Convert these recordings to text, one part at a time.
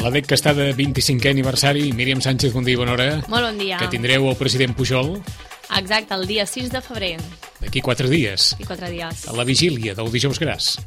l'ADEC que està de 25è aniversari. Míriam Sánchez, bon dia i bona hora. Molt bon dia. Que tindreu el president Pujol Exacte, el dia 6 de febrer. d'aquí 4 dies. I 4 dies. A la vigília del dijous gras.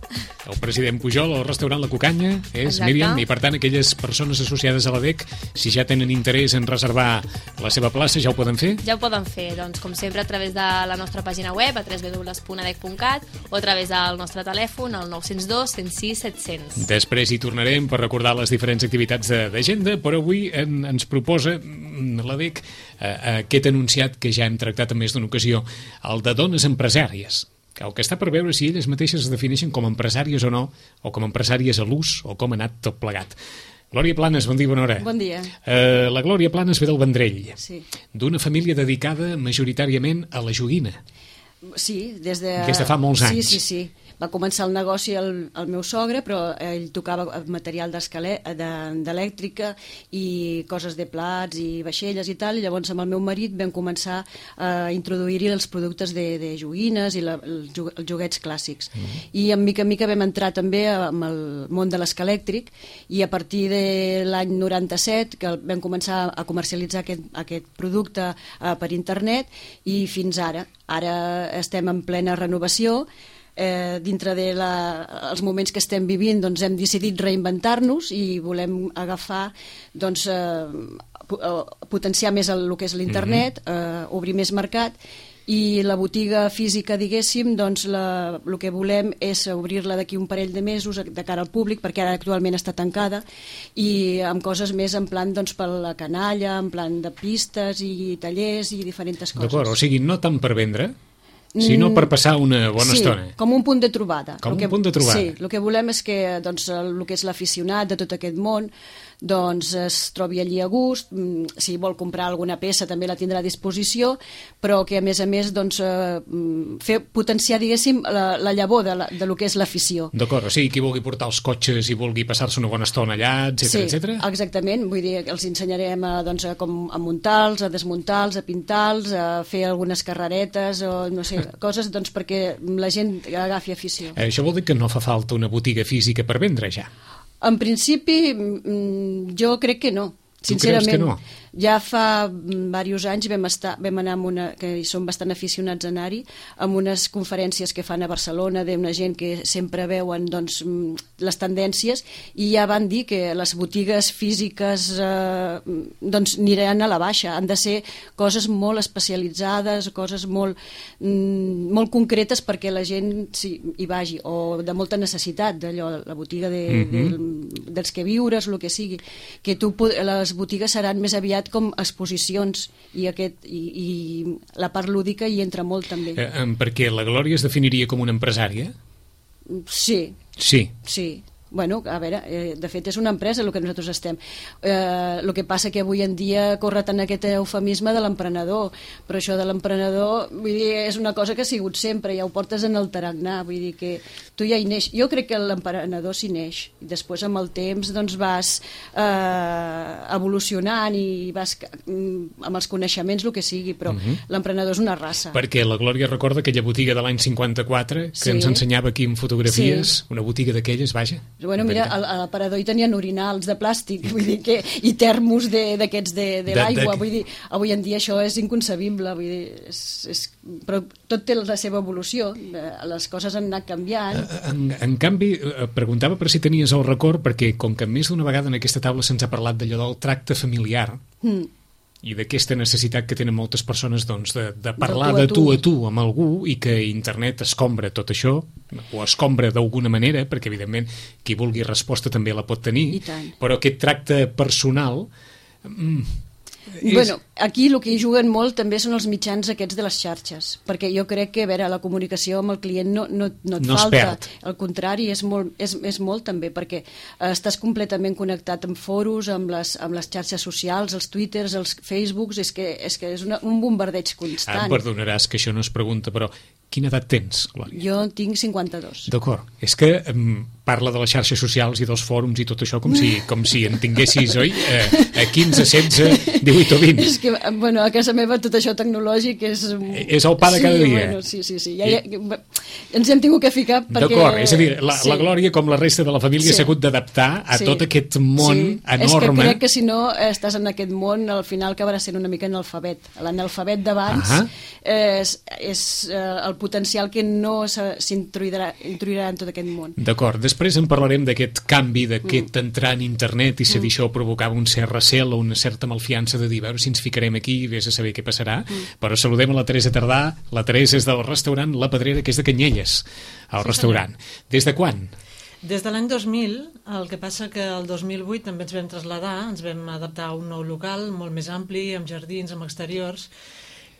El president Pujol al restaurant La Cucanya és Exacte. Míriam, i per tant aquelles persones associades a l'ADEC, si ja tenen interès en reservar la seva plaça, ja ho poden fer? Ja ho poden fer, doncs, com sempre, a través de la nostra pàgina web, a www.adec.cat, o a través del nostre telèfon, al 902 106 700. Després hi tornarem per recordar les diferents activitats d'agenda, però avui ens proposa l'ADEC aquest enunciat que ja hem tractat en més d'una ocasió, el de dones empresàries. El que està per veure si elles mateixes es defineixen com a empresàries o no, o com a empresàries a l'ús, o com ha anat tot plegat. Glòria Planes, bon dia, bona hora. Bon dia. La Glòria Planes ve del Vendrell, Sí. d'una família dedicada majoritàriament a la joguina. Sí, des de fa molts anys. Sí. Va començar el negoci el meu sogre, però ell tocava material d'elèctrica i coses de plats i vaixelles i tal, i llavors amb el meu marit vam començar a introduir-hi els productes de joguines i els joguets clàssics. I en mica en mica vam entrar també amb el món de l'escalèctric, i a partir de l'any 97 que vam començar a comercialitzar aquest producte per internet, i fins ara. Ara estem en plena renovació. Dintre dels moments que estem vivint, doncs hem decidit reinventar-nos i volem agafar, doncs, potenciar més el que és l'internet, obrir més mercat, i la botiga física, diguéssim, doncs el que volem és obrir-la d'aquí un parell de mesos de cara al públic, perquè ara actualment està tancada, i amb coses més en plan, doncs, per la canalla, en plan de pistes i tallers i diferents coses. D'acord, o sigui, no tant per vendre, sinó per passar una bona estona. Sí, com un punt de trobada. Com un punt de trobada. Sí, el que volem és que, doncs, el que és l'aficionat de tot aquest món, doncs, es trobi allí a gust. Si vol comprar alguna peça també la tindrà a disposició, però que a més, doncs, potenciar, diguéssim, la llavor de lo que és l'afició. D'acord, o sigui, qui vulgui portar els cotxes i vulgui passar-se una bona estona allà, etcètera, etcètera? Sí, exactament. Vull dir, els ensenyarem doncs, com a muntar-los, a desmuntar-los, a pintar-los, a fer algunes carreretes o no sé, coses, doncs, perquè la gent agafi afició. Això vol dir que no fa falta una botiga física per vendre ja? En principi, jo crec que no. Sincerament, creus que no? Ja fa diversos anys vam anar amb que som bastant aficionats a anar-hi, amb unes conferències que fan a Barcelona d'una gent que sempre veuen, doncs, les tendències, i ja van dir que les botigues físiques doncs aniran a la baixa, han de ser coses molt especialitzades, coses molt concretes perquè la gent hi vagi, o de molta necessitat d'allò, la botiga dels que viures, el que sigui, que les botigues seran més aviat com exposicions, i la part lúdica hi entra molt també. Perquè la Glòria es definiria com una empresària? Sí. Bueno, a veure, de fet és una empresa el que nosaltres estem. El que passa que avui en dia corre tant aquest eufemisme de l'emprenedor, però això de l'emprenedor, vull dir, és una cosa que ha sigut sempre, ja ho portes en el tarannà, vull dir que tu ja hi neix. Jo crec que l'emprenedor s'hi neix, i després amb el temps doncs vas evolucionant i vas amb els coneixements, el que sigui, però l'emprenedor és una raça. Perquè la Glòria recorda aquella botiga de l'any 54 que ens ensenyava aquí en fotografies, una botiga d'aquelles, vaja. Bueno, mira, a l'aparador hi tenien orinals de plàstic, vull dir que, i termos d'aquests de l'aigua, vull dir, avui en dia això és inconcebible, vull dir, però tot té la seva evolució, les coses han anat canviant. En canvi, preguntava per si tenies el record, perquè com que més d'una vegada en aquesta taula se'ns ha parlat d'allò del tracte familiar, i d'aquesta necessitat que tenen moltes persones, doncs, de parlar de tu a tu amb algú, i que internet escombra tot això, o escombra d'alguna manera, perquè evidentment qui vulgui resposta també la pot tenir, però aquest tracte personal Bueno, aquí el que hi juguen molt també són els mitjans aquests de les xarxes, perquè jo crec que, a veure, la comunicació amb el client no et falta, al contrari, és molt també, perquè estàs completament connectat amb foros, amb les xarxes socials, els twitters, els facebooks, és que és un bombardeig constant. Em perdonaràs que això no es pregunta, però Quina edat tens, Glòria? Jo tinc 52. D'acord. És que parla de les xarxes socials i dels fòrums i tot això com si en tinguessis, oi? A 15, 16, 18 o 20. És que, bueno, a casa meva tot això tecnològic és... És el pa de cada dia. Bueno, sí. Ens hem tingut que ficar perquè... D'acord, és a dir, la Glòria, com la resta de la família, s'ha hagut d'adaptar a tot aquest món enorme. És que crec que si no estàs en aquest món, al final acabarà sent una mica analfabet. L'analfabet d'abans és el potencial que no s'introduirà en tot aquest món. D'acord, després en parlarem d'aquest canvi, d'aquest entrar en internet i si això provocava un cert recel o una certa malfiança de dir, a veure si ens ficarem aquí i vés a saber què passarà, però saludem a la Teresa Tardà. La Teresa és del restaurant La Pedrera, que és de Canyelles, el restaurant. Des de quan? Des de l'any 2000, el que passa que el 2008 també ens vam traslladar, ens vam adaptar a un nou local molt més ampli, amb jardins, amb exteriors,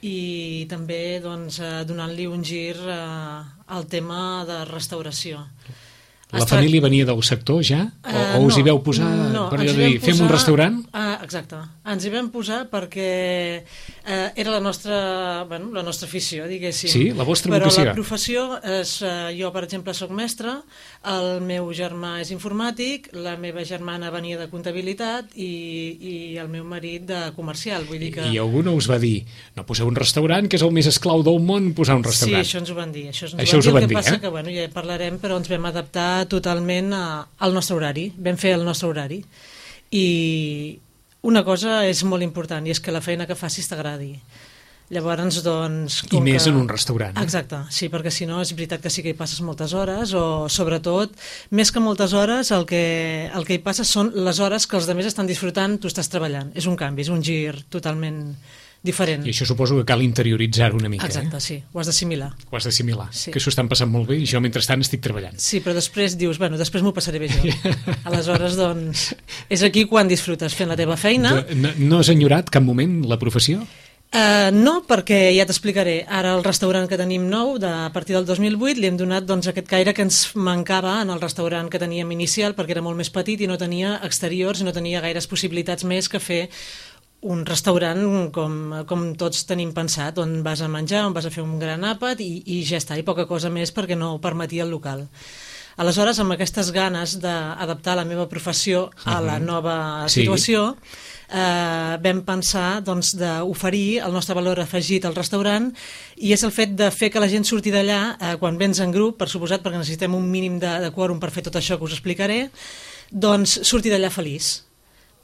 i també doncs, donant-li un gir al tema de restauració. La família venia del sector ja? O us hi veu posar per dir, fem un restaurant? Exacte. Ens hi vam posar perquè era la nostra afició, diguéssim. Sí, la vostra vocació. Però la professió és... Jo, per exemple, soc mestre, el meu germà és informàtic, la meva germana venia de comptabilitat i el meu marit de comercial. Vull dir que... I algú no us va dir, no poseu un restaurant, que és el més esclau del món, posar un restaurant. Sí, això ens ho van dir. Això us ho van dir, el que passa que, ja parlarem, però ens vam adaptar totalment al nostre horari, vam fer el nostre horari i una cosa és molt important i és que la feina que facis t'agradi. Llavors, doncs... I més en un restaurant. Exacte, sí, perquè si no és veritat que sí que hi passes moltes hores o sobretot, més que moltes hores, el que hi passa són les hores que els altres estan disfrutant, tu estàs treballant. És un canvi, és un gir totalment diferent. I això suposo que cal interioritzar-ho una mica. Exacte, sí, ho has d'assimilar. Ho has d'assimilar, sí. Que s'ho estan passant molt bé i jo mentrestant estic treballant. Sí, però després dius, bueno, després m'ho passaré bé jo. Aleshores, doncs, és aquí quan disfrutes fent la teva feina. No has enyorat cap moment la professió? No, perquè ja t'explicaré. Ara el restaurant que tenim nou, a partir del 2008, li hem donat doncs, aquest caire que ens mancava en el restaurant que teníem inicial, perquè era molt més petit i no tenia exteriors i no tenia gaires possibilitats més que fer un restaurant com tots tenim pensat, on vas a menjar, on vas a fer un gran àpat i ja està, i poca cosa més perquè no ho permetia el local. Aleshores, amb aquestes ganes d'adaptar la meva professió a la nova situació, vam pensar doncs, d'oferir el nostre valor afegit al restaurant i és el fet de fer que la gent surti d'allà quan vens en grup, per suposat, perquè necessitem un mínim de quòrum per fer tot això que us explicaré, doncs surti d'allà feliç,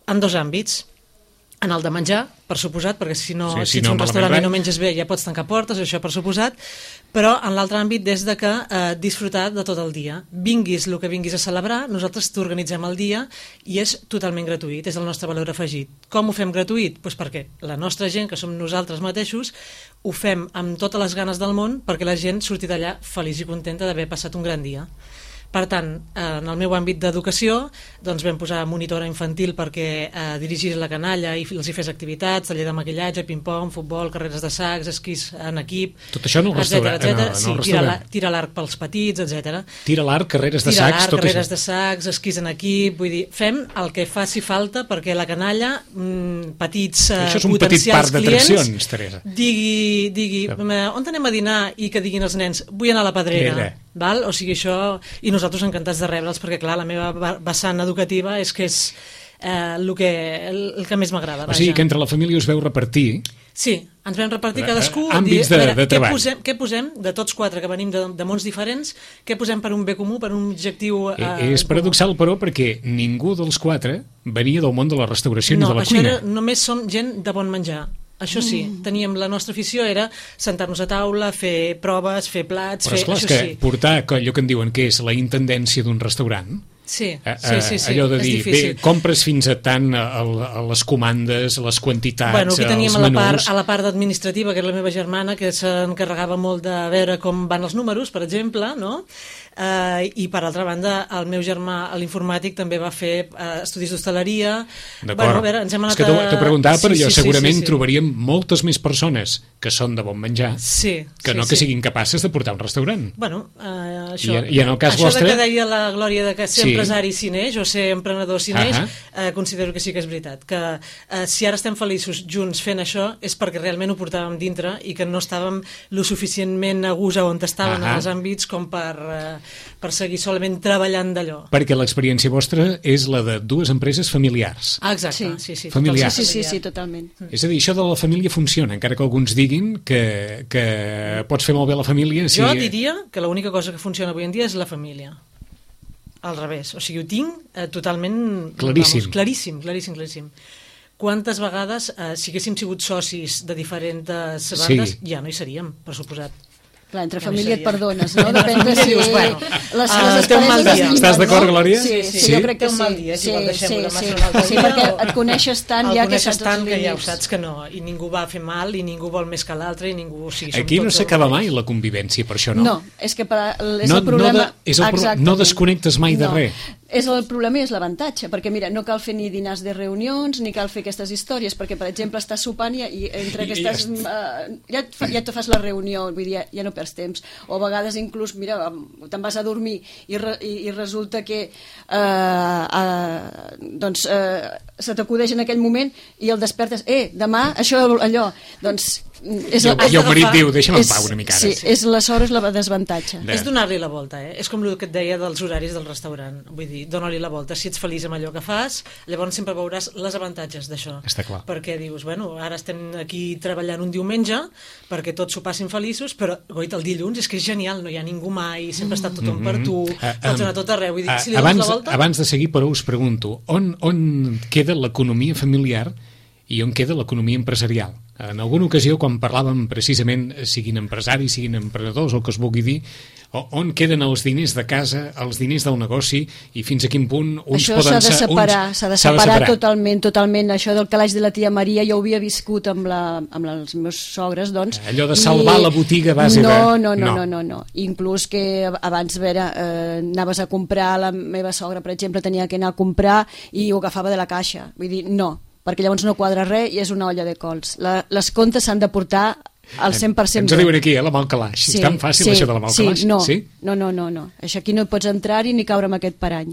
en dos àmbits. En el de menjar, per suposat, perquè si ets un restaurant i no menges bé ja pots tancar portes, això per suposat, però en l'altre àmbit des de que disfrutar de tot el dia. Vinguis el que vinguis a celebrar, nosaltres t'organitzem el dia i és totalment gratuït, és el nostre valor afegit. Com ho fem gratuït? Doncs perquè la nostra gent, que som nosaltres mateixos, ho fem amb totes les ganes del món perquè la gent surti d'allà feliç i contenta d'haver passat un gran dia. Per tant, en el meu àmbit d'educació doncs vam posar monitora infantil perquè dirigís la canalla i els hi fes activitats, taller de maquillatge, ping-pong, futbol, carreres de sacs, esquís en equip... Tot això en el restaurant? Sí, tira l'arc pels petits, etc. Tira l'arc, carreres de sacs, tot això? Carreres de sacs, esquís en equip... Vull dir, fem el que faci falta perquè la canalla, petits això és un potencials petit parc d'atraccions, Teresa. Digui, on anem a dinar? I que diguin els nens, vull anar a la Pedrera. Val? O sigui, això... I nosaltres encantats de rebre'ls perquè, clar, la meva vessant educativa és que és el que més m'agrada. O sigui que entre la família us veu repartir... Sí, ens vam repartir cadascú... Àmbits de treball. Què posem, de tots quatre que venim de mons diferents, què posem per un bé comú, per un objectiu... És paradoxal, però, perquè ningú dels quatre venia del món de la restauració ni de la cuina. No, només som gent de bon menjar. Això sí, teníem la nostra afició era sentar-nos a taula, fer proves, fer plats... Però esclar, és que portar allò que en diuen que és la intendència d'un restaurant... Sí, allò de dir, bé, compres fins a tant a les comandes, les quantitats, bueno, aquí teníem els menús... a la part administrativa, que era la meva germana, que s'encarregava molt de veure com van els números, per exemple, no? I per altra banda el meu germà a l'informàtic també va fer estudis d'hostaleria. D'acord, a veure, ens hem anat és que t'ho preguntava, però jo segurament sí. trobaríem moltes més persones que són de bon menjar que siguin capaces de portar un restaurant. Bueno, això, I en el cas vostre... que deia la Glòria de que sempre empresari si neix o ser emprenedor si neix, considero que sí que és veritat. Que si ara estem feliços junts fent això és perquè realment ho portàvem dintre i que no estàvem lo suficientment a gust on estaven els àmbits com per seguir solament treballant d'allò. Perquè l'experiència vostra és la de dues empreses familiars. Exacte, sí. Familiars. Sí, totalment. És a dir, això de la família funciona, encara que alguns diguin que pots fer molt bé la família. Jo diria que l'única cosa que funciona avui en dia és la família. Al revés. O sigui, ho tinc totalment... Claríssim. Claríssim. Quantes vegades, si haguéssim sigut socis de diferents bandes, ja no hi seríem, per suposat. Clar, entre família et perdones, no? Depèn de si... Les té un mal dia. Estàs d'acord, Glòria? Sí, jo crec que té un mal dia, sí. Sí, perquè et coneixes tant ja que saps els límits. Ja ho saps que no, i ningú va fer mal, i ningú vol més que l'altre, i ningú... Aquí no s'acaba mai la convivència, per això no. No, és que és el problema... No desconnectes mai de res. És el problema i és l'avantatge, perquè mira, no cal fer ni dinars de reunions, ni cal fer aquestes històries, perquè, per exemple, estàs sopant i entre aquestes... Ja te fas la reunió, vull dir, ja no perds temps. O a vegades inclús, mira, te'n vas a dormir i resulta que se t'acudeix en aquell moment i el despertes, demà, això, allò, doncs... I el marit diu, deixa'm en pau una mica ara. Sí, és aleshores la desavantatge. És donar-li la volta, és com el que et deia dels horaris del restaurant, vull dir, dona-li la volta, si ets feliç amb allò que fas, llavors sempre veuràs les avantatges d'això. Està clar. Perquè dius, bueno, ara estem aquí treballant un diumenge perquè tots s'ho passin feliços, però goita, el dilluns és que és genial, no hi ha ningú mai, sempre està tothom per tu, pots anar a tot arreu, vull dir, si li dones la volta... Abans de seguir, però us pregunto, on queda l'economia familiar i on queda l'economia empresarial? En alguna ocasió, quan parlàvem precisament, siguin empresaris, siguin emprenedors, el que es vulgui dir, on queden els diners de casa, els diners del negoci, i fins a quin punt uns això poden... Això s'ha de separar totalment. Això del calaix de la tia Maria, jo ho havia viscut amb els meus sogres, doncs... Allò de salvar la botiga a base de... No. Inclús que abans, anaves a comprar, la meva sogra, per exemple, tenia que anar a comprar i ho agafava de la caixa. Vull dir, no, perquè llavors no quadra res i és una olla de cols. Les comptes s'han de portar al 100%. Ens diuen aquí, la mal calaix. És tan fàcil això de la mal calaix? No. Això aquí no pots entrar-hi ni caure amb aquest parany.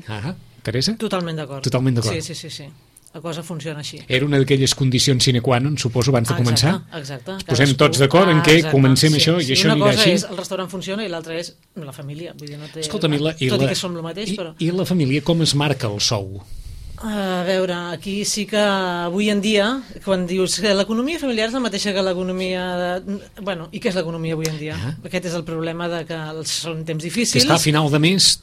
Teresa? Totalment d'acord. Sí. La cosa funciona així. Era una d'aquelles condicions sine qua non, suposo, abans de començar? Exacte. Ens posem tots d'acord en què comencem això i això anirà així. Una cosa és el restaurant funciona i l'altra és la família. Vull dir, no té... Escolta'm, tot i que som el mateix, però... I la família com es marca el sou? A veure, aquí sí que avui en dia, quan dius que l'economia familiar és la mateixa que l'economia... Bueno, i què és l'economia avui en dia? Aquest és el problema de que són temps difícils. Que està a final de mes,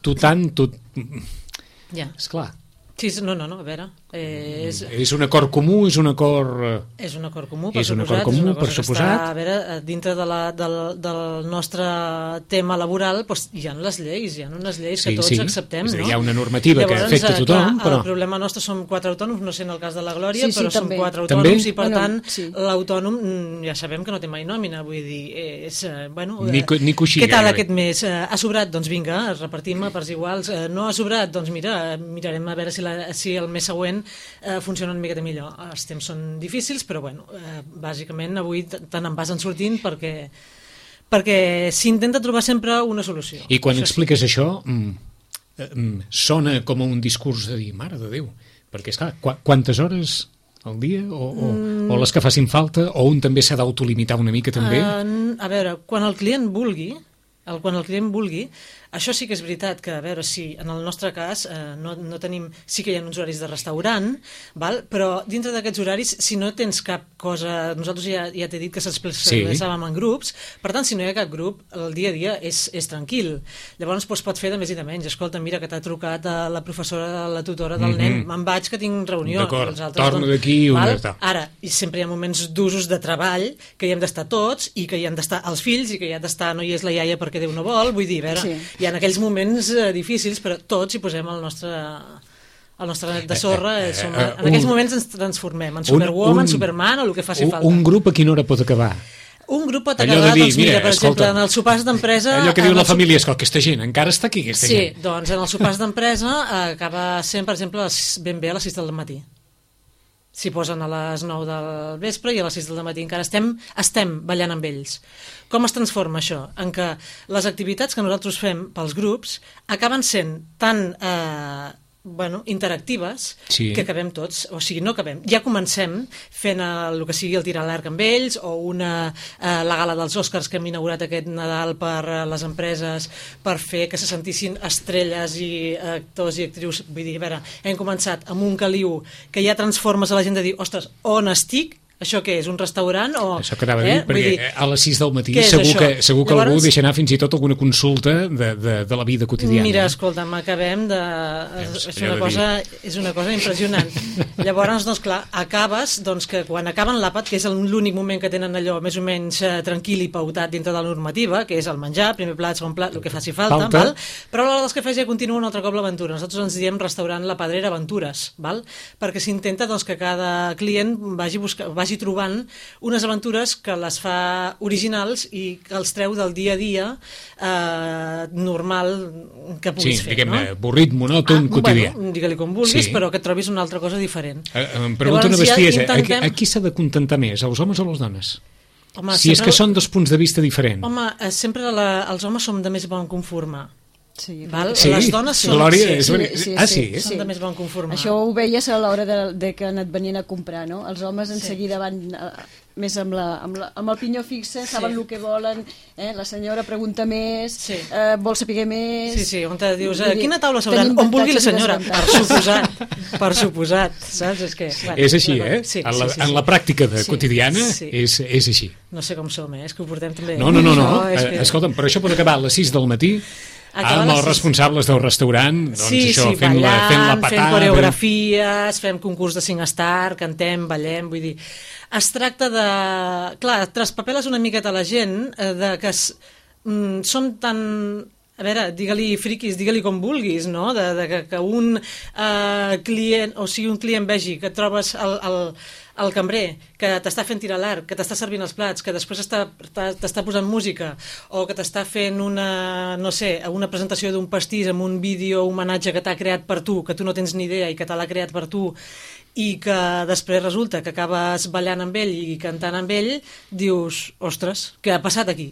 Ja. Esclar. Sí, no, a veure... És un acord comú, és un acord... És un acord comú, per suposat. A veure, dintre del nostre tema laboral hi ha les lleis, que tots acceptem, no? Hi ha una normativa que afecta tothom, però... El problema nostre som 4 autònoms, no sé en el cas de la Glòria, però som 4 autònoms i, per tant, l'autònom ja sabem que no té mai nòmina, vull dir, és... Ni coixí. Què tal aquest mes? Ha sobrat? Doncs vinga, repartim a parts iguals. No ha sobrat? Doncs mira, mirarem a veure si el mes següent funciona una miqueta millor. Els temps són difícils, però bueno, bàsicament avui tant en vas en sortint perquè s'intenta trobar sempre una solució. I quan expliques això, sona com un discurs de dir, mare de Déu, perquè esclar, quantes hores al dia o les que facin falta, o un també s'ha d'autolimitar una mica també? A veure, quan el client vulgui, això sí que és veritat que, a veure, si en el nostre cas no tenim, sí que hi ha uns horaris de restaurant, però dintre d'aquests horaris, si no tens cap cosa, nosaltres ja t'he dit que s'expressàvem en grups, per tant, si no hi ha cap grup, el dia a dia és tranquil. Llavors pot fer de més i de menys. Escolta, mira que t'ha trucat la professora, la tutora del nen, me'n vaig que tinc reunió. D'acord, torno d'aquí una altra. Ara, i sempre hi ha moments d'usos de treball que hi hem d'estar tots i que hi han d'estar els fills i que hi ha d'estar, no hi és la iaia perquè Déu no vol, vull dir, a veure, hi ha aquells moments difícils, però tots hi posem el nostre net de sorra. En aquells moments ens transformem en Superwoman, Superman o el que faci falta. Un grup a quina hora pot acabar? Un grup pot acabar, doncs mira, per exemple, en els sopars d'empresa... Allò que diu la família, escolta, aquesta gent encara està aquí, aquesta gent. Sí, doncs en els sopars d'empresa acaba sent, per exemple, ben bé a les 6 del matí. s'hi posen a les 9 del vespre i a les 6 del matí encara estem ballant amb ells. Com es transforma això? En què les activitats que nosaltres fem pels grups acaben sent tan interactives que acabem tots, o sigui, no acabem. Ja comencem fent el que sigui el tir a l'arc amb ells o la gala dels Oscars que hem inaugurat aquest Nadal per les empreses per fer que se sentissin estrelles i actors i actrius. Vull dir, a veure, hem començat amb un caliu que ja transformes a la gent de dir, ostres, on estic? Això què és, un restaurant? Això que anava a dir, perquè a les 6 del matí segur que algú deixa anar fins i tot alguna consulta de la vida quotidiana. Mira, escolta'm, acabem de... És una cosa impressionant. Llavors, doncs clar, acabes que quan acaben l'àpat, que és l'únic moment que tenen allò més o menys tranquil i pautat dintre de la normativa, que és el menjar, primer plat, segon plat, el que faci falta. Val? Però a l'hora dels cafès ja continua un altre cop l'aventura. Nosaltres ens diem restaurant La Pedrera Aventures, val? Perquè s'intenta que cada client vagi trobant unes aventures que les fa originals i que els treu del dia a dia normal que puguis fer. Sí, diguem-ne, avorrit, monòton, quotidià. Bueno, digue-li com vulguis, però que et trobis una altra cosa diferent. Em pregunta una bestiesa, a qui s'ha de contentar més, als homes o a les dones? Home, si és que són dos punts de vista diferents. Home, sempre els homes som de més bon conformar. Sí, les dones són, són de més bon conformar. Això ho veies a l'hora de que et venien a comprar, no? Els homes en seguida van més amb el pinyó fixe, saben el que volen, la senyora pregunta més, vol saber més... Sí, on te dius, quina taula s'hauran? On vulgui la senyora, per suposat, saps? És així, en la pràctica quotidiana és així. No sé com som, és que ho portem també... No, escolta'm, però això pot acabar a les 6 del matí amb els responsables del restaurant, fent la patada, fent coreografies, fem concurs de SingStar, cantem, ballem, vull dir... Es tracta de... Clar, traspapeles una miqueta a la gent de que són tan... A veure, digue-li friquis, digue-li com vulguis, no? Que un client, o sigui, un client vegi que et trobes el cambrer, que t'està fent tirar l'arc, que t'està servint els plats, que després t'està posant música, o que t'està fent una presentació d'un pastís amb un vídeo homenatge que t'ha creat per tu, que tu no tens ni idea i que te l'ha creat per tu, i que després resulta que acabes ballant amb ell i cantant amb ell, dius, ostres, què ha passat aquí?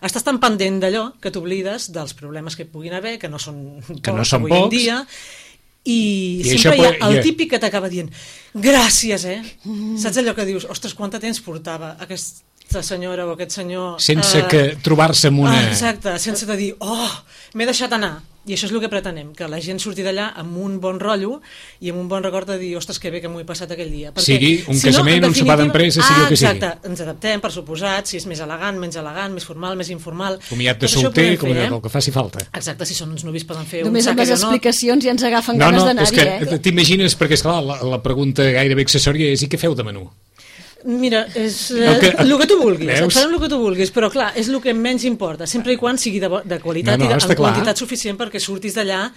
Estàs tan pendent d'allò que t'oblides dels problemes que puguin haver, que no són pocs avui en dia, i sempre hi ha el típic que t'acaba dient gràcies, saps allò que dius, ostres, quant de temps portava aquesta senyora o aquest senyor sense que trobar-se amb una... Exacte, sense de dir, m'he deixat anar. I això és el que pretenem, que la gent surti d'allà amb un bon rotllo i amb un bon record de dir, ostres, que bé que m'ho he passat aquell dia. Perquè, sigui un casament, un sopar d'empresa, sigui el que sigui. Exacte, ens adaptem, per suposat, si és més elegant, menys elegant, més formal, més informal. Comiat de solter, comiat del que faci falta. Exacte, si són uns novis poden fer només un amb les explicacions ja ens agafen ganes d'anar-hi. No, és que t'imagines, perquè esclar, la pregunta gairebé accessòria és i què feu de menú? Mira, és el que tu vulguis, et farem el que tu vulguis, però clar, és el que menys importa, sempre i quan sigui de qualitat i de quantitat suficient perquè surtis d'allà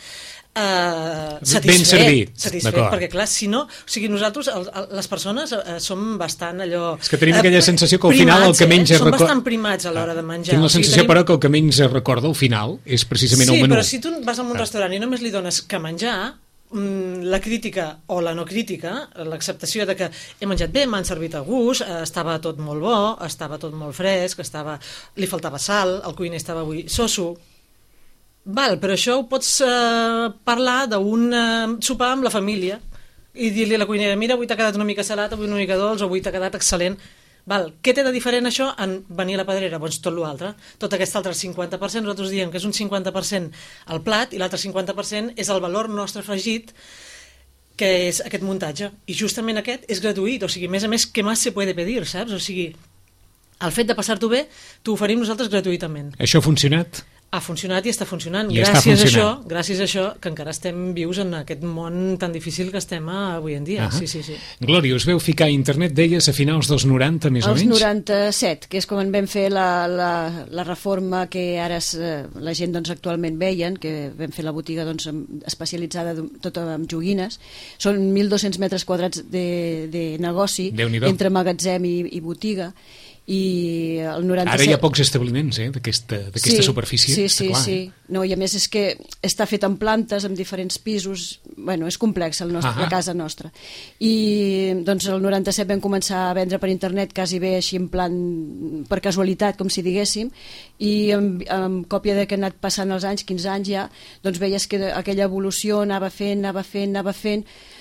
satisfet, perquè clar, si no, o sigui, nosaltres, les persones, som bastant allò... És que tenim aquella sensació que al final el que menys som bastant primats a l'hora de menjar. Tinc la sensació, però, que el que menys recorda al final és precisament el menú. Sí, però si tu vas a un restaurant i només li dones que menjar, la crítica o la no crítica, l'acceptació de que he menjat bé, m'han servit a gust, estava tot molt bo, estava tot molt fresc, li faltava sal, el cuiner estava avui soso. Però això ho pots parlar d'un sopar amb la família i dir-li a la cuinera, mira, avui t'ha quedat una mica salat, avui una mica dolç, avui t'ha quedat excel·lent. Què té de diferent això en venir a la Pedrera? Doncs tot l'altre. Tot aquest altre 50%, nosaltres diem que és un 50% al plat i l'altre 50% és el valor nostre afegit, que és aquest muntatge. I justament aquest és gratuït, o sigui, a més, què més se puede pedir, saps? O sigui, el fet de passar-t'ho bé, t'ho oferim nosaltres gratuïtament. Això ha funcionat? Ha funcionat i està funcionant. Gràcies a això, que encara estem vius en aquest món tan difícil que estem avui en dia. Sí. Glòria, us veu ficar a internet, deies, a finals dels 90, més o menys? Els 97, que és com en vam fer la reforma que ara la gent actualment veien, que vam fer la botiga especialitzada tota amb joguines. Són 1.200 metres quadrats de negoci entre magatzem i botiga. i el 97... Ara hi ha pocs establiments d'aquesta superfície. Sí. No, i a més és que està fet en plantes, en diferents pisos, bueno, és complex la casa nostra. I doncs el 97 vam començar a vendre per internet quasi bé així en plan per casualitat, com si diguéssim, i amb còpia de que han anat passant els anys, 15 anys ja, doncs veies que aquella evolució anava fent.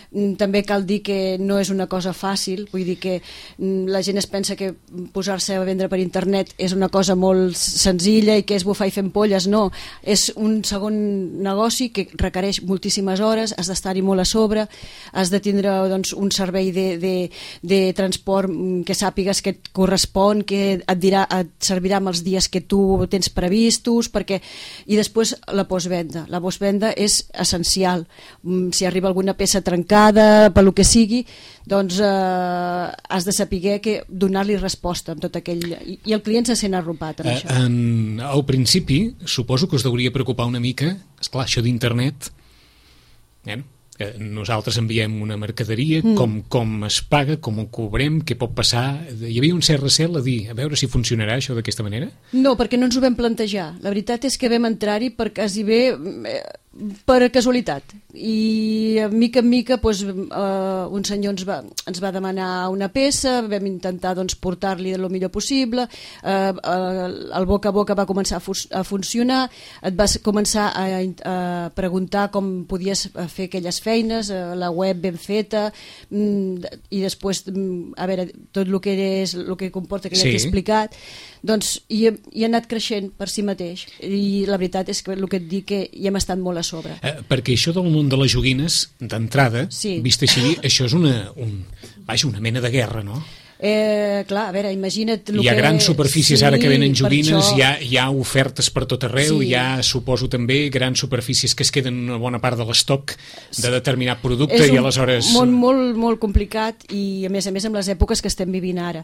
També cal dir que no és una cosa fàcil, vull dir que la gent es pensa que posar-se a vendre per internet és una cosa molt senzilla i que és bufar i fent polles. No, és un segon negoci que requereix moltíssimes hores, has d'estar-hi molt a sobre, has de tindre doncs, un servei de transport que sàpigues que et correspon, que et servirà amb els dies que tu tens previstos, i després la postvenda. La postvenda és essencial. Si arriba alguna peça trencada, per lo que sigui, doncs has de saber que donar-li resposta amb tot aquell... I el client se sent arropat amb això. Al principi, suposo que us hauria preocupar una mica, esclar, això d'internet, nosaltres enviem una mercaderia, com es paga, com ho cobrem, què pot passar. Hi havia un cert recel a dir, a veure si funcionarà això d'aquesta manera? No, perquè no ens ho vam plantejar. La veritat és que vam entrar-hi per quasi bé per casualitat, i mica en mica doncs, un senyor ens va demanar una peça, vam intentar doncs, portar-li el millor possible, el boca a boca va començar a funcionar, et vas començar a preguntar com podies fer aquelles feines, la web ben feta, i després a veure, tot el que és el que comporta, que ja t'he explicat, doncs, i ha anat creixent per si mateix, i la veritat és que el que et dic que hi hem estat molt a sobre. Perquè això del món de les joguines, d'entrada, vist així, això és una mena de guerra, no? Clar, a veure, imagina't... Hi ha grans superfícies ara que venen joguines, hi ha ofertes per tot arreu, hi ha, suposo també, grans superfícies que es queden una bona part de l'estoc de determinat producte i aleshores... És un món molt, molt complicat i a més amb les èpoques que estem vivint ara.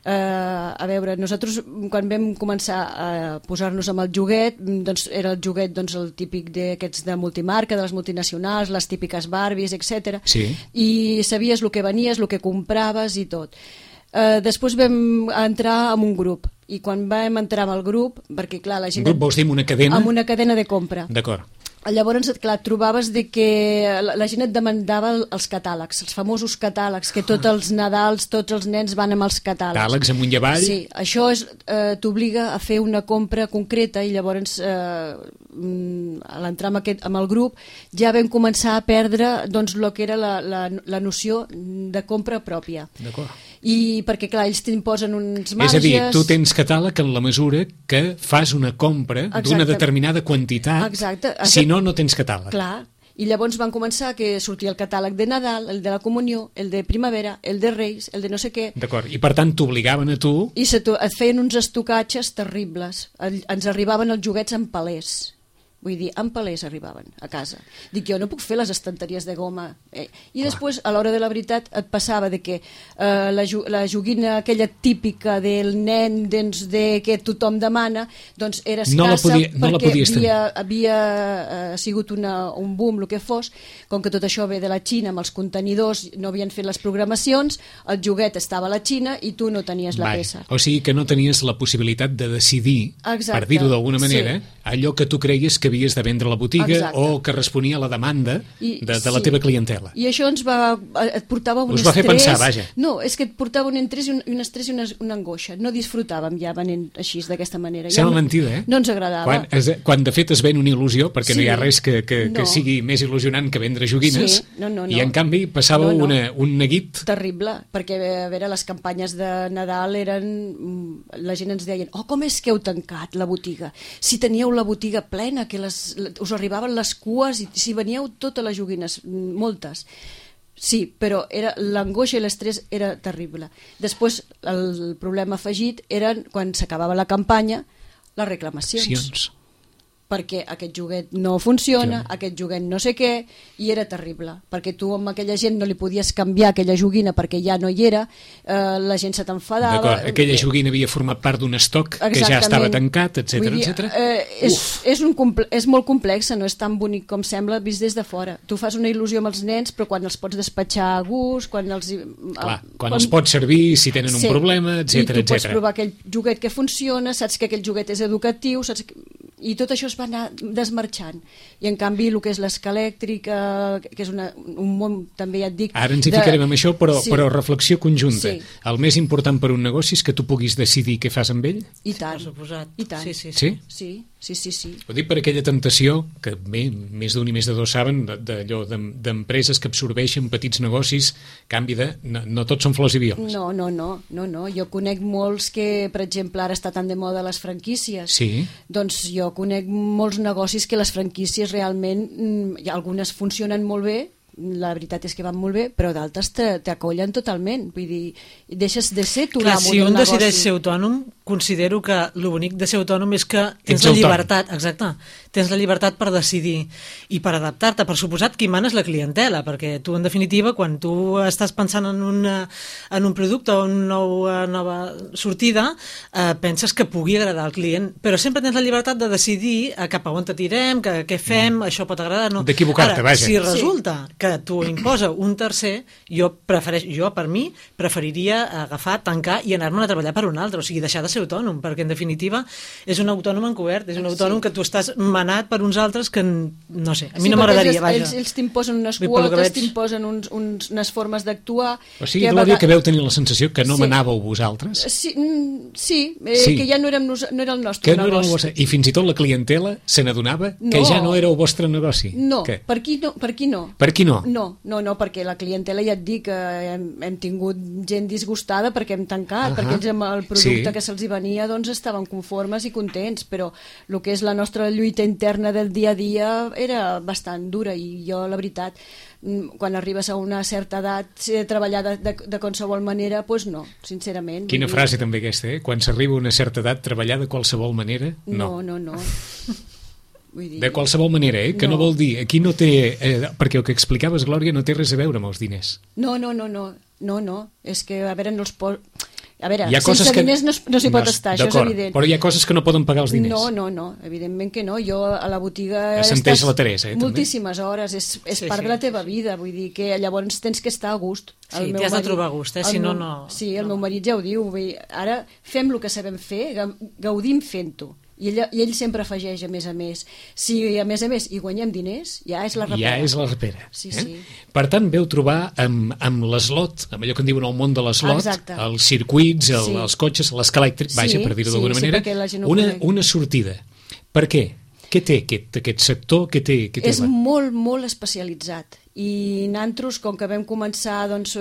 A veure, nosaltres quan vam començar a posar-nos amb el joguet, doncs era el joguet el típic d'aquests de multimarca, de les multinacionals, les típiques Barbies, etc. I sabies el que venies, el que compraves i tot. Després vam entrar en un grup, i quan vam entrar en el grup, perquè clar, la gent... Un grup vols dir amb una cadena? Amb una cadena de compra. D'acord. Llavors, clar, et trobaves que la gent et demandava els catàlegs, els famosos catàlegs, que tots els Nadals, tots els nens van amb els catàlegs. Catàlegs amunt i avall? Sí, això t'obliga a fer una compra concreta, i llavors a l'entrar amb el grup ja vam començar a perdre doncs, el que era la noció de compra pròpia. D'acord. I perquè clar, ells t'imposen uns marges... És a dir, tu tens catàleg en la mesura que fas una compra d'una determinada quantitat. Exacte. Si no tens catàleg. Clar, i llavors van començar que sortia el catàleg de Nadal, el de la Comunió, el de Primavera, el de Reis, el de no sé què. D'acord, i per tant t'obligaven a tu... I et feien uns estocatges terribles. Ens arribaven els joguets en palers. Vull dir, en palers arribaven a casa. Dic, jo no puc fer les estanteries de goma. I després, a l'hora de la veritat, et passava de que la joguina aquella típica del nen que tothom demana, doncs era escassa perquè havia sigut un boom, el que fos. Com que tot això ve de la Xina, amb els contenidors no havien fet les programacions, el joguet estava a la Xina i tu no tenies la peça. O sigui que no tenies la possibilitat de decidir, per dir-ho d'alguna manera, allò que tu creies que havies de vendre a la botiga o que responia a la demanda de la teva clientela. I això et portava un estrès... Us va fer pensar, vaja. No, és que et portava un estrès i un estrès i una angoixa. No disfrutàvem ja venent així, d'aquesta manera. Sembla mentida, No ens agradava. Quan de fet es ven una il·lusió, perquè no hi ha res que sigui més il·lusionant que vendre joguines, i en canvi passava un neguit... Terrible, perquè a veure, les campanyes de Nadal eren... La gent ens deien, com és que heu tancat la botiga? Si teníeu la botiga plena, que us arribaven les cues i si veníeu totes les joguines, moltes. Sí, però l'angoixa i l'estrès era terrible. Després, el problema afegit eren, quan s'acabava la campanya, les reclamacions. perquè aquest joguet no funciona, aquest joguet no sé què, i era terrible, perquè tu amb aquella gent no li podies canviar aquella joguina perquè ja no hi era, la gent se t'enfadava. D'acord, aquella joguina havia format part d'un estoc que ja estava tancat, etc. És molt complexa, no és tan bonic com sembla vist des de fora. Tu fas una il·lusió amb els nens, però quan els pots despatxar a gust, quan els pots servir, si tenen un problema, etc. I tu pots provar aquell joguet que funciona, saps que aquell joguet és educatiu, i tot això es va anar desmarxant. I en canvi el que és l'escalèctrica, que és un món, també ja et dic... Ara ens hi ficarem amb això, però reflexió conjunta. El més important per un negoci és que tu puguis decidir què fas amb ell? I tant. Per suposat. I tant. Sí. Ho dic per aquella temptació, que bé, més d'un i més de dos saben, d'empreses que absorbeixen petits negocis, canvi de... No tots són flors i violes. No. Jo conec molts que, per exemple, ara està tan de moda les franquícies. Sí. Doncs jo conec molts negocis que les franquícies realment, algunes funcionen molt bé, la veritat és que van molt bé, però d'altres t'acollen totalment, vull dir, deixes de ser tu l'amo si d'un un negoci. decideix ser autònom, considero que el bonic de ser autònom és que tens la llibertat, exacte, tens la llibertat per decidir i per adaptar-te. Per suposat, qui mana és la clientela, perquè tu, en definitiva, quan tu estàs pensant en un producte o una nova sortida, penses que pugui agradar al client, però sempre tens la llibertat de decidir cap a on te tirem, què fem, això pot agradar, no. D'equivocar-te, vaja. Si resulta que t'ho imposa un tercer, jo per mi preferiria agafar, tancar i anar-me'n a treballar per un altre, o sigui, deixar de ser autònom, perquè en definitiva és un autònom encobert, és un autònom que tu estàs manat per uns altres que, no sé, a mi no m'agradaria, vaja. Ells t'imposen unes quotes, t'imposen unes formes d'actuar... O sigui, Glòria, que veu tenir la sensació que no manàveu vosaltres? Sí, que ja no era el nostre negoci. I fins i tot la clientela se n'adonava que ja no era el vostre negoci? No, per aquí no. Per aquí no? No, perquè la clientela, ja et dic, hem tingut gent disgustada perquè hem tancat, perquè ells amb el producte que se'ls venia doncs estaven conformes i contents, però el que és la nostra lluita interna del dia a dia era bastant dura, i jo, la veritat, quan arribes a una certa edat, treballar de qualsevol manera, doncs no, sincerament. Quina frase també aquesta, Quan s'arriba a una certa edat, treballar de qualsevol manera? No. Vull dir, de qualsevol manera, que no vol dir, aquí no té, perquè el que explicaves, Glòria, no té res a veure amb els diners. No, és que, a veure, sense diners no s'hi pot estar, això és evident. Però hi ha coses que no poden pagar els diners. No, evidentment que no. Jo a la botiga estàs la Teresa, moltíssimes hores, és part de la teva vida, vull dir que llavors tens que estar a gust. Sí, t'hi has de trobar a gust, si no... Sí, el meu marit ja ho diu, ara fem el que sabem fer, gaudim fent-ho. I ell sempre afegeix, a més. Si a més hi guanyem diners, ja és la rapera. Ja és la rapera. Sí. Per tant, veu trobar amb l'eslot, amb allò que en diuen el món de l'eslot, els circuits, els cotxes, l'escalèctric, vaja, per dir-ho d'alguna manera, una sortida. Per què? Què té aquest sector? És molt, molt especialitzat. I nosaltres, com que vam començar, doncs,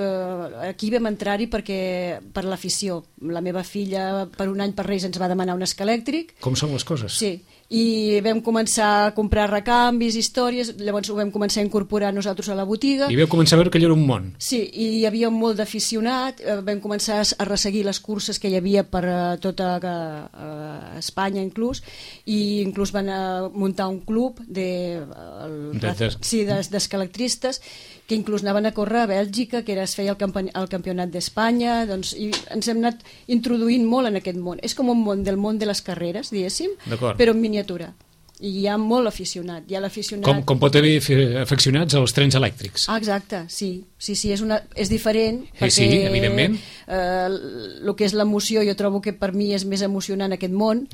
aquí vam entrar-hi per l'afició. La meva filla, per un any per Reis, ens va demanar un escalèctric. Com són les coses? Sí, i vam començar a comprar recanvis, històries, llavors ho vam començar a incorporar nosaltres a la botiga. I vau començar a veure que allò era un món. Sí, i hi havia molt d'aficionat, vam començar a resseguir les curses que hi havia per tota Espanya, inclús, i inclús van muntar un club d'escalèctristes que inclús anaven a córrer a Bèlgica, que es feia el campionat d'Espanya, doncs, i ens hem anat introduint molt en aquest món. És com un món de les carreres, diguéssim, però en miniatura. I hi ha molt aficionat. Hi ha l'aficionat... Com pot haver aficionats als trens elèctrics. Exacte, sí, és diferent, perquè sí, evidentment. El que és l'emoció, jo trobo que per mi és més emocionant aquest món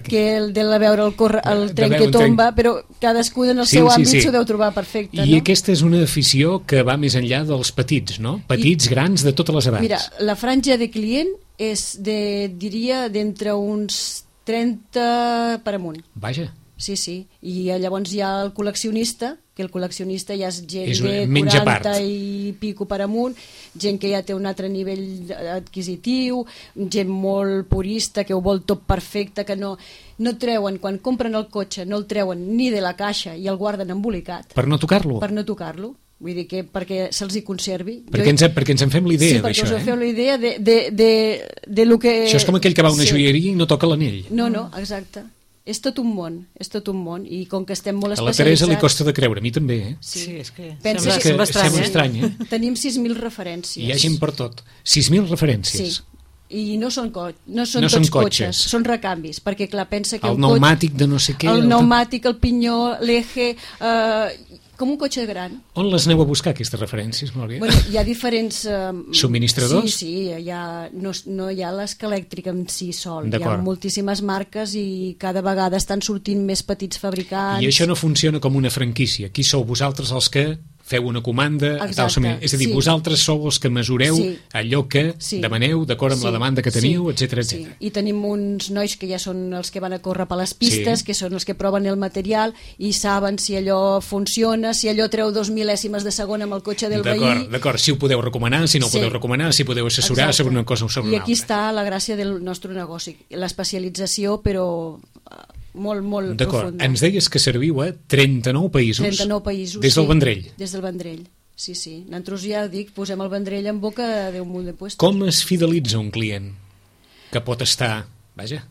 que el de veure el tren que tomba, però cadascú en el seu àmbit s'ho deu trobar perfecte. I aquesta és una afició que va més enllà dels petits, no? Petits, grans, de totes les edats. Mira, la franja de client és diria d'entre uns 30 per amunt. Vaja. Sí, i llavors hi ha el col·leccionista, que el col·leccionista ja és gent de 40 i pico per amunt, gent que ja té un altre nivell adquisitiu, gent molt purista, que ho vol tot perfecte, que no treuen, quan compren el cotxe, no el treuen ni de la caixa i el guarden embolicat. Per no tocar-lo? Per no tocar-lo. Vull dir que perquè se'ls hi conservi. Perquè ens en fem l'idea d'això, Sí, perquè us en feu la idea de lo que... Això és com aquell que va a una joieria i no toca l'anell. No, exacte. és tot un món, i com que estem molt especialitzats... A la especialitzats... Teresa li costa de creure, a mi també, eh? Sí, és que sembla estrany, eh? Tenim 6.000 referències. Hi ha gent per tot. 6.000 referències. Sí. I no són tots cotxes, són recanvis, perquè clar, pensa que el pneumàtic de no sé què... El pneumàtic, el pinyó, l'eje... com un cotxe gran. On les aneu a buscar, aquestes referències, Glòria? Bueno, hi ha diferents... subministradors? Sí, no hi ha l'Escalèctric en si sol. Hi ha moltíssimes marques i cada vegada estan sortint més petits fabricants. I això no funciona com una franquícia. Qui sou vosaltres els que feu una comanda? És a dir, vosaltres sou els que mesureu allò que demaneu d'acord amb la demanda que teniu, etc. I tenim uns nois que ja són els que van a córrer per les pistes, que són els que proven el material i saben si allò funciona, si allò treu 2 mil·lèsimes de segon amb el cotxe del veí. D'acord, si ho podeu recomanar, si no ho podeu recomanar, si podeu assessorar sobre una cosa o sobre una altra. I aquí està la gràcia del nostre negoci, l'especialització, però molt profunda. D'acord, ens deies que serviu a 39 països. 39 països, des del Vendrell. Des del Vendrell, sí. Nosaltres ja dic, posem el Vendrell en boca d'un munt de puestos. Com es fidelitza un client que pot estar, vaja...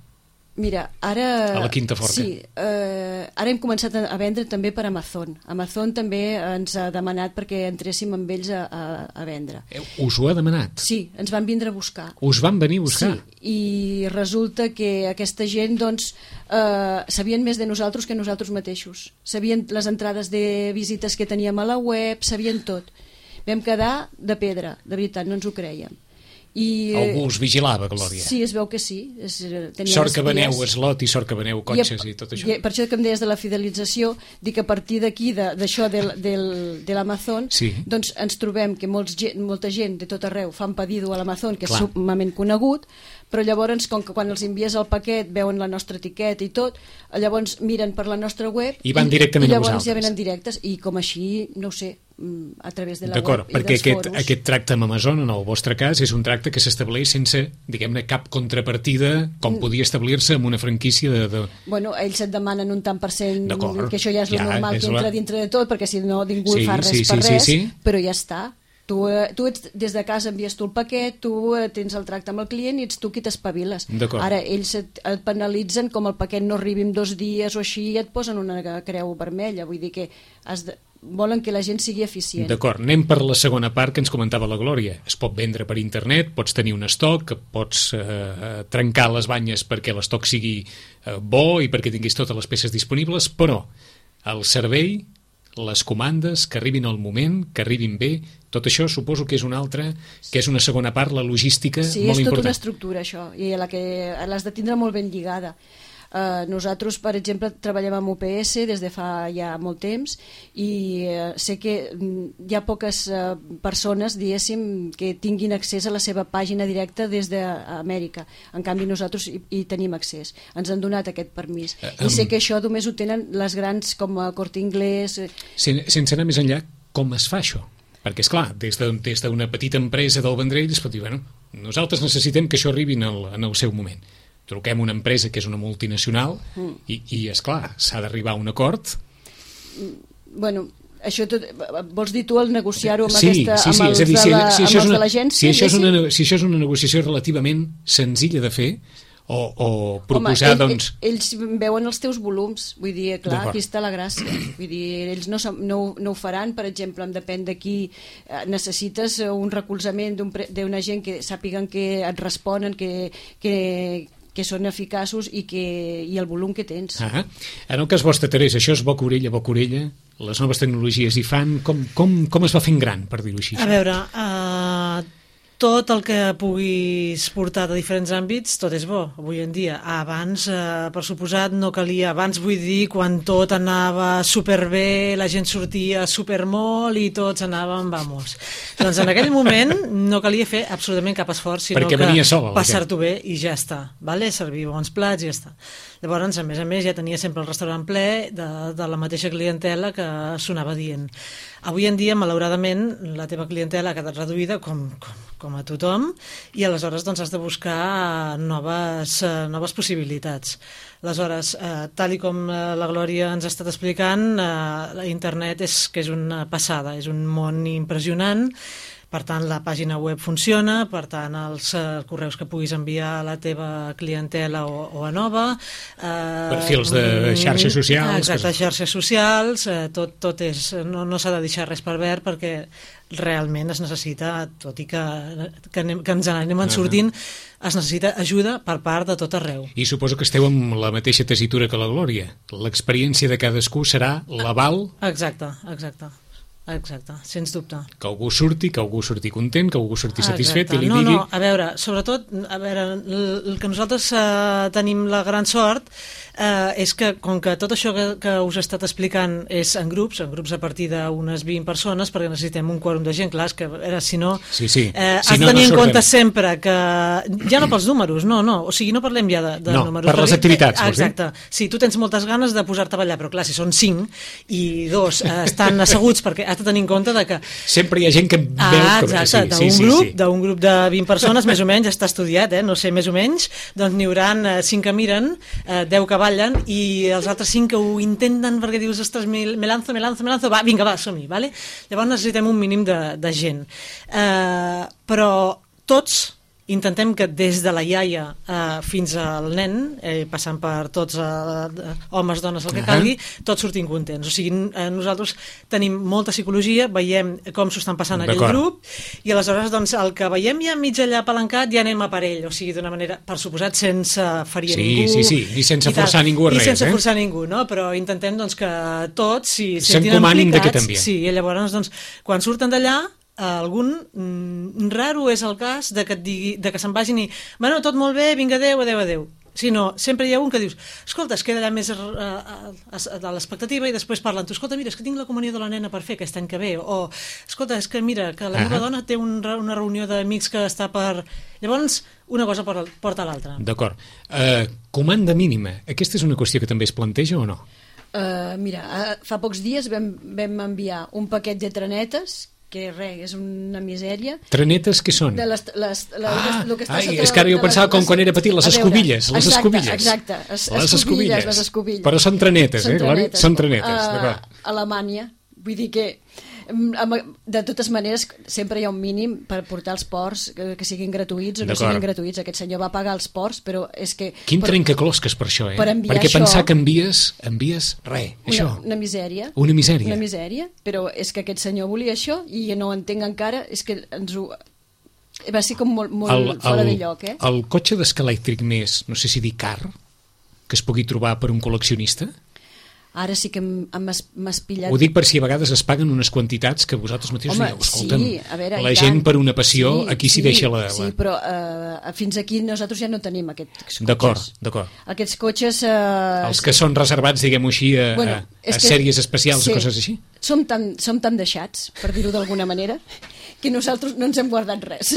Mira, ara... A la Quinta Forta. Sí, ara hem començat a vendre també per Amazon. Amazon també ens ha demanat perquè entréssim amb ells a vendre. Us ho ha demanat? Sí, ens van vindre a buscar. Us van venir a buscar? Sí, i resulta que aquesta gent, doncs, sabien més de nosaltres que nosaltres mateixos. Sabien les entrades de visites que teníem a la web, sabien tot. Vam quedar de pedra, de veritat, no ens ho creiem. Algú us vigilava, Glòria? Sí, es veu que sí. Sort que veneu eslot i sort que veneu cotxes i tot això. Per això que em deies de la fidelització, dic que a partir d'aquí, d'això de l'Amazon, doncs ens trobem que molta gent de tot arreu fan pedido a l'Amazon, que és sumament conegut, però llavors, com que quan els envies el paquet veuen la nostra etiqueta i tot, llavors miren per la nostra web i van directament a vosaltres. I llavors ja venen directes, i com així, no ho sé, a través de la web i dels foros. D'acord, perquè aquest tracte amb Amazon, en el vostre cas, és un tracte que s'estableix sense, diguem-ne, cap contrapartida, com podia establir-se amb una franquícia de... Bueno, ells et demanen un tant per cent, que això ja és el normal que entra dintre de tot, perquè si no ningú fa res per res, però ja està. Tu des de casa envies tu el paquet, tu tens el tracte amb el client i ets tu qui t'espaviles. Ara ells et penalitzen, com el paquet no arribi en 2 dies o així, i et posen una creu vermella. Vull dir que volen que la gent sigui eficient. D'acord, anem per la segona part que ens comentava la Glòria. Es pot vendre per internet, pots tenir un estoc, pots trencar les banyes perquè l'estoc sigui bo i perquè tinguis totes les peces disponibles, però el servei, les comandes, que arribin al moment, que arribin bé, tot això suposo que és una altra, que és una segona part, la logística, molt important. Sí, és tota una estructura, això, i la que l'has de tindre molt ben lligada. Nosaltres, per exemple, treballem amb UPS des de fa ja molt temps i sé que hi ha poques persones, diguéssim, que tinguin accés a la seva pàgina directa des d'Amèrica. En canvi, nosaltres hi tenim accés. Ens han donat aquest permís. I sé que això només ho tenen les grans com a Corte Inglés... Sense anar més enllà, com es fa això? Perquè, esclar, des d'una petita empresa del Vendrell es pot dir, bueno, nosaltres necessitem que això arribi en el seu moment. Truquem una empresa que és una multinacional i esclar, s'ha d'arribar a un acord. Bueno, això tot, vols dir tu el negociar-ho amb els de l'agència? Si això és una negociació relativament senzilla de fer, o proposar, doncs... Ells veuen els teus volums, vull dir, clar, aquí està la gràcia. Vull dir, ells no ho faran, per exemple, depèn de qui necessites un recolzament d'una gent que sàpiguen que et responen, que són eficaços i el volum que tens. En el cas vostre, Teresa, això és boca orella, les noves tecnologies hi fan, com es va fent gran, per dir-ho així? A veure, tot el que puguis portar de diferents àmbits, tot és bo, avui en dia. Abans, per suposat, no calia. Abans, vull dir, quan tot anava superbé, la gent sortia supermol i tots anàvem, vamos. Doncs en aquell moment no calia fer absolutament cap esforç, sinó que passar-t'ho bé i ja està. Vale? Servir bons plats i ja està. Llavors, a més, ja tenia sempre el restaurant ple de la mateixa clientela que sonava dient. Avui en dia, malauradament, la teva clientela ha quedat reduïda, com a tothom, i aleshores doncs, has de buscar noves possibilitats. Aleshores, tal i com la Glòria ens ha estat explicant, internet és una passada, és un món impressionant, Per tant, la pàgina web funciona, per tant, els correus que puguis enviar a la teva clientela o a nova... Perfils de xarxes socials... Exacte, xarxes socials, tot és... No s'ha de deixar res per verd perquè realment es necessita, tot i que ens anem sortint, es necessita ajuda per part de tot arreu. I suposo que esteu amb la mateixa tessitura que la Glòria. L'experiència de cadascú serà l'aval... Exacte, sens dubte. Que algú surti content, que algú surti satisfet i li digui... No, a veure, sobretot, el que nosaltres tenim la gran sort és que, com que tot això que us he estat explicant és en grups a partir d'unes 20 persones, perquè necessitem un quòrum de gent, clar, és que si no... Sí. Has de tenir en compte sempre que... Ja no pels números, no, o sigui, no parlem ja de números. No, per les activitats, vols dir? Exacte. Sí, tu tens moltes ganes de posar-te a ballar, però clar, si són 5 i 2 estan asseguts, perquè has de tenir en compte de que... Sempre hi ha gent que veu... Exacte, d'un grup de 20 persones, més o menys, està estudiat, no sé, més o menys, doncs n'hi haurà 5 que miren, 10 que ballen, i els altres 5 que ho intenten perquè dius, ostres, me lanzo, va, vinga, va, som-hi, vale? Llavors necessitem un mínim de gent. Però tots intentem que des de la iaia fins al nen, passant per tots homes, dones, el que calgui, tots sortim contents. O sigui, nosaltres tenim molta psicologia, veiem com s'ho estan passant aquell grup, i aleshores doncs, el que veiem ja mig allà palancat ja anem a per ell, o sigui, d'una manera, per suposat, sense ferir ningú. Sí, i sense forçar ningú a res. I sense forçar ningú, no? Però intentem doncs, que tots s'hi s'encomanin d'aquest ambient. Sí, i llavors, doncs, quan surten d'allà, algun raro és el cas de que et digui, de que se'n vagin i bueno, tot molt bé, vinga, adeu. Si no, sempre hi ha un que dius, escolta, es queda allà més a l'expectativa i després parlen, tu, escolta, mira, és que tinc la comunió de la nena per fer aquest any que ve, o escolta, és que mira, que la meva dona té una reunió d'amics que està per... Llavors, una cosa porta a l'altra. D'acord. Comanda mínima, aquesta és una qüestió que també es planteja o no? Mira, fa pocs dies vam enviar un paquet de trenetes que res, és una misèria. Trenetes què són? És que ara jo pensava com quan era petit, les escobilles. Exacte, les escobilles. Però són trenetes, Glòria? Són trenetes, d'acord. A Alemanya, vull dir que de totes maneres sempre hi ha un mínim per portar els ports que siguin gratuïts o no siguin gratuïts. Aquest senyor va pagar els ports, però és que... Quin trencaclosques per això, perquè pensar que envies res, això. Una misèria. Una misèria. Una misèria, però és que aquest senyor volia això i no ho entenc encara, és que ens ho... Va ser com molt fora de lloc, El cotxe d'esca elèctric més, no sé si dir car, que es pugui trobar per un col·leccionista... Ara sí que m'has pillat... Ho dic per si a vegades es paguen unes quantitats que vosaltres mateixos dieu, escolta'm, la gent per una passió, aquí s'hi deixa la... Sí, però fins aquí nosaltres ja no tenim aquests cotxes. D'acord. Aquests cotxes... Els que són reservats, diguem-ho així, a sèries especials o coses així? Som tan deixats, per dir-ho d'alguna manera, que nosaltres no ens hem guardat res.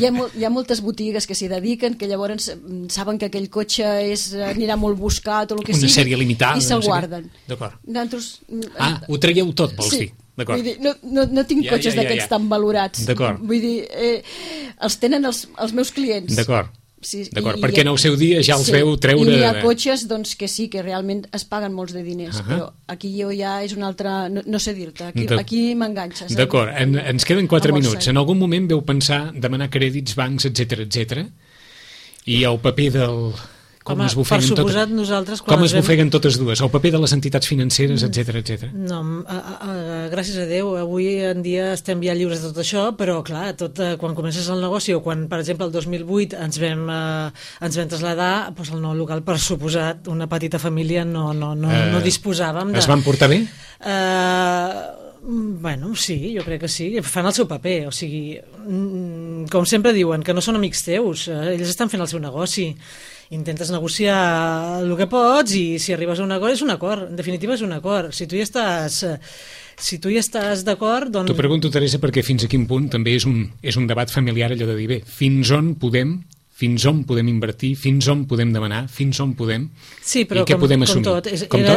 Hi ha moltes botigues que s'hi dediquen, que llavors saben que aquell cotxe anirà molt buscat o el que sigui, una sèrie limitada, i se'l guarden. D'acord. Nosaltres... ho traieu tot, vols dir? D'acord. Vull dir, no tinc cotxes d'aquests tan valorats. D'acord. Vull dir, els tenen els meus clients. D'acord. D'acord, perquè en el seu dia ja els veu treure... I hi ha cotxes doncs, que sí, que realment es paguen molts de diners, però aquí jo ja és una altra... No sé dir-te, aquí m'enganxes. D'acord, ens queden 4 minuts. En algun moment veu pensar demanar crèdits, bancs, etc. I el paper del... Com es bufeguen totes dues, el paper de les entitats financeres, etc. No, gràcies a Déu, avui en dia estem ja lliures de tot això, però clar, quan comences el negoci o quan, per exemple, el 2008 ens vam traslladar, doncs el nou local, per suposat, una petita família no disposàvem de... Es van portar bé? Bueno, sí, jo crec que sí, fan el seu paper, o sigui, com sempre diuen, que no són amics teus, ells estan fent el seu negoci, intentes negociar el que pots i si arribes a un acord és un acord, en definitiva és un acord, si tu hi estàs d'acord, doncs... T'ho pregunto, Teresa, perquè fins a quin punt també és un debat familiar allò de dir, bé, fins on podem invertir, fins on podem demanar, fins on podem, sí, però i què podem assumir.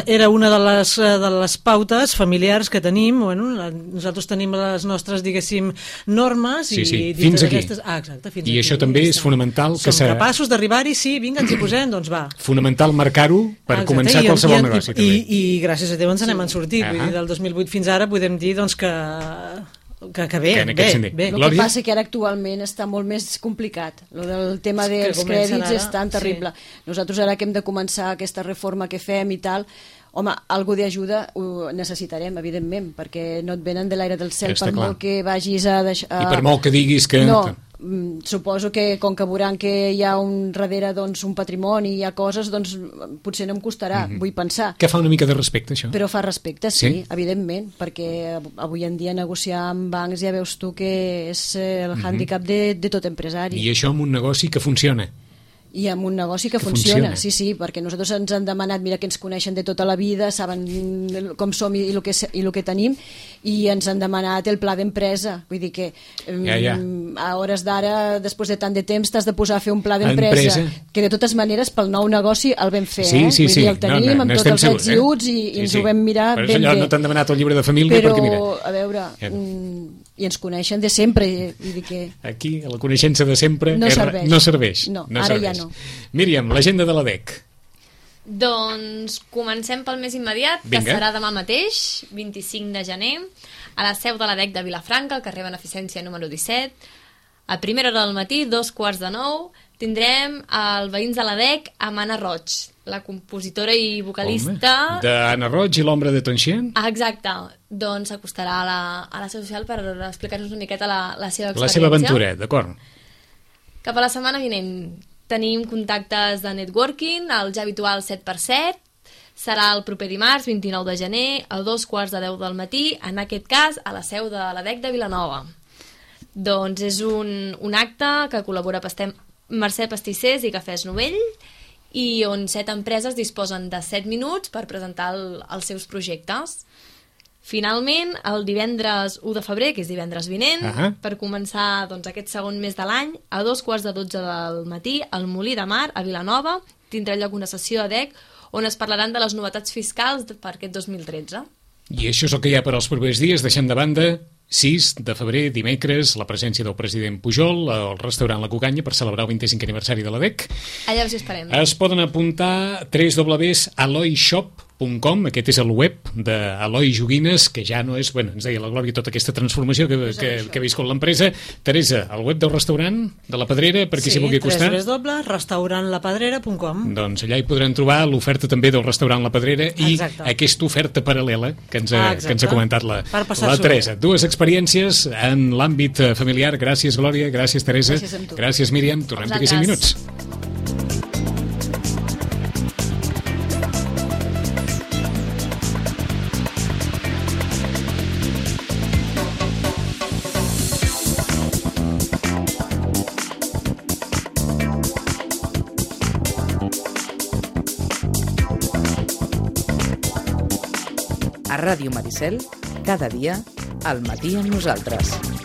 Era una de les pautes familiars que tenim, bueno, nosaltres tenim les nostres, diguéssim, normes i fins aquí. Exacte, fins I aquí. Això també és fonamental. Som capaços d'arribar-hi, sí, vinga, ens hi posem, doncs va. Fonamental marcar-ho per començar qualsevol negoci. I gràcies a Déu ens n'hem sortit, vull dir, del 2008 fins ara podem dir doncs, que Que bé, que en aquest sentit. bé. El que passa que ara actualment està molt més complicat. El tema dels crèdits és tan terrible. Nosaltres ara que hem de començar aquesta reforma que fem i tal, home, algú d'ajuda ho necessitarem, evidentment, perquè no et venen de l'aire del cel per molt que vagis a deixar... I per molt que diguis que... No, suposo que com que veuran que hi ha darrere doncs, un patrimoni, hi ha coses, doncs potser no em costarà, vull pensar. Que fa una mica de respecte, això? Però fa respecte, sí, evidentment, perquè avui en dia negociar amb bancs ja veus tu que és el hàndicap de tot empresari. I això amb un negoci que funciona. I amb un negoci que funciona, sí, perquè nosaltres ens han demanat, mira que ens coneixen de tota la vida, saben com som i el que tenim, i ens han demanat el pla d'empresa, vull dir que a hores d'ara, després de tant de temps, t'has de posar a fer un pla d'empresa, que de totes maneres pel nou negoci el vam fer, vull dir, el tenim amb tots els ets i uts i ens ho vam mirar ben bé. No t'han demanat el llibre de família perquè mira... Però, a veure... I ens coneixen de sempre, vull dir que... Aquí, la coneixença de sempre no serveix. No serveix. No, ara ja no. Míriam, l'agenda de la DEC. Doncs comencem pel més immediat, que serà demà mateix, 25 de gener, a la seu de la DEC de Vilafranca, al carrer Beneficència número 17, a primera hora del matí, 8:45, tindrem el Veïns de la DEC amb Anna Roig, la compositora i vocalista... D'Anna Roig i l'Ombra de Tonxien? Exacte. Doncs s'acostarà a la seu social per explicar-nos una miqueta la seva experiència. La seva aventura, d'acord. Cap a la setmana vinent tenim contactes de networking, el ja habitual 7x7, serà el proper dimarts, 29 de gener, a 2:10 del matí, en aquest cas a la seu de la DEC de Vilanova. Doncs és un acte que col·labora Mercè Pastissers i Cafès Novell, i on 7 empreses disposen de 7 minuts per presentar els seus projectes. Finalment, el divendres 1 de febrer, que és divendres vinent, per començar aquest segon mes de l'any, a 2:12 del matí, al Molí de Mar, a Vilanova, tindrà lloc una sessió a DEC on es parlaran de les novetats fiscals per aquest 2013. I això és el que hi ha per als propers dies, deixant de banda 6 de febrer, dimecres, la presència del president Pujol al restaurant La Cucanya per celebrar el 25è aniversari de la DEC. Allà us esperem. Es poden apuntar www.aloyshop.com, aquest és el web d'Eloi Joguines, que ja no és, ens deia la Glòria, tota aquesta transformació que ha viscut l'empresa. Teresa, el web del restaurant de la Pedrera, per qui s'hi vulgui acostar? Sí, www.restaurantlaPedrera.com. Doncs allà hi podran trobar l'oferta també del restaurant La Pedrera i aquesta oferta paral·lela que ens ha comentat la Teresa. Dues experiències en l'àmbit familiar. Gràcies, Glòria. Gràcies, Teresa. Gràcies, Míriam. Tornem d'aquí 5 minuts. A Ràdio Maricel, cada dia, al matí amb nosaltres.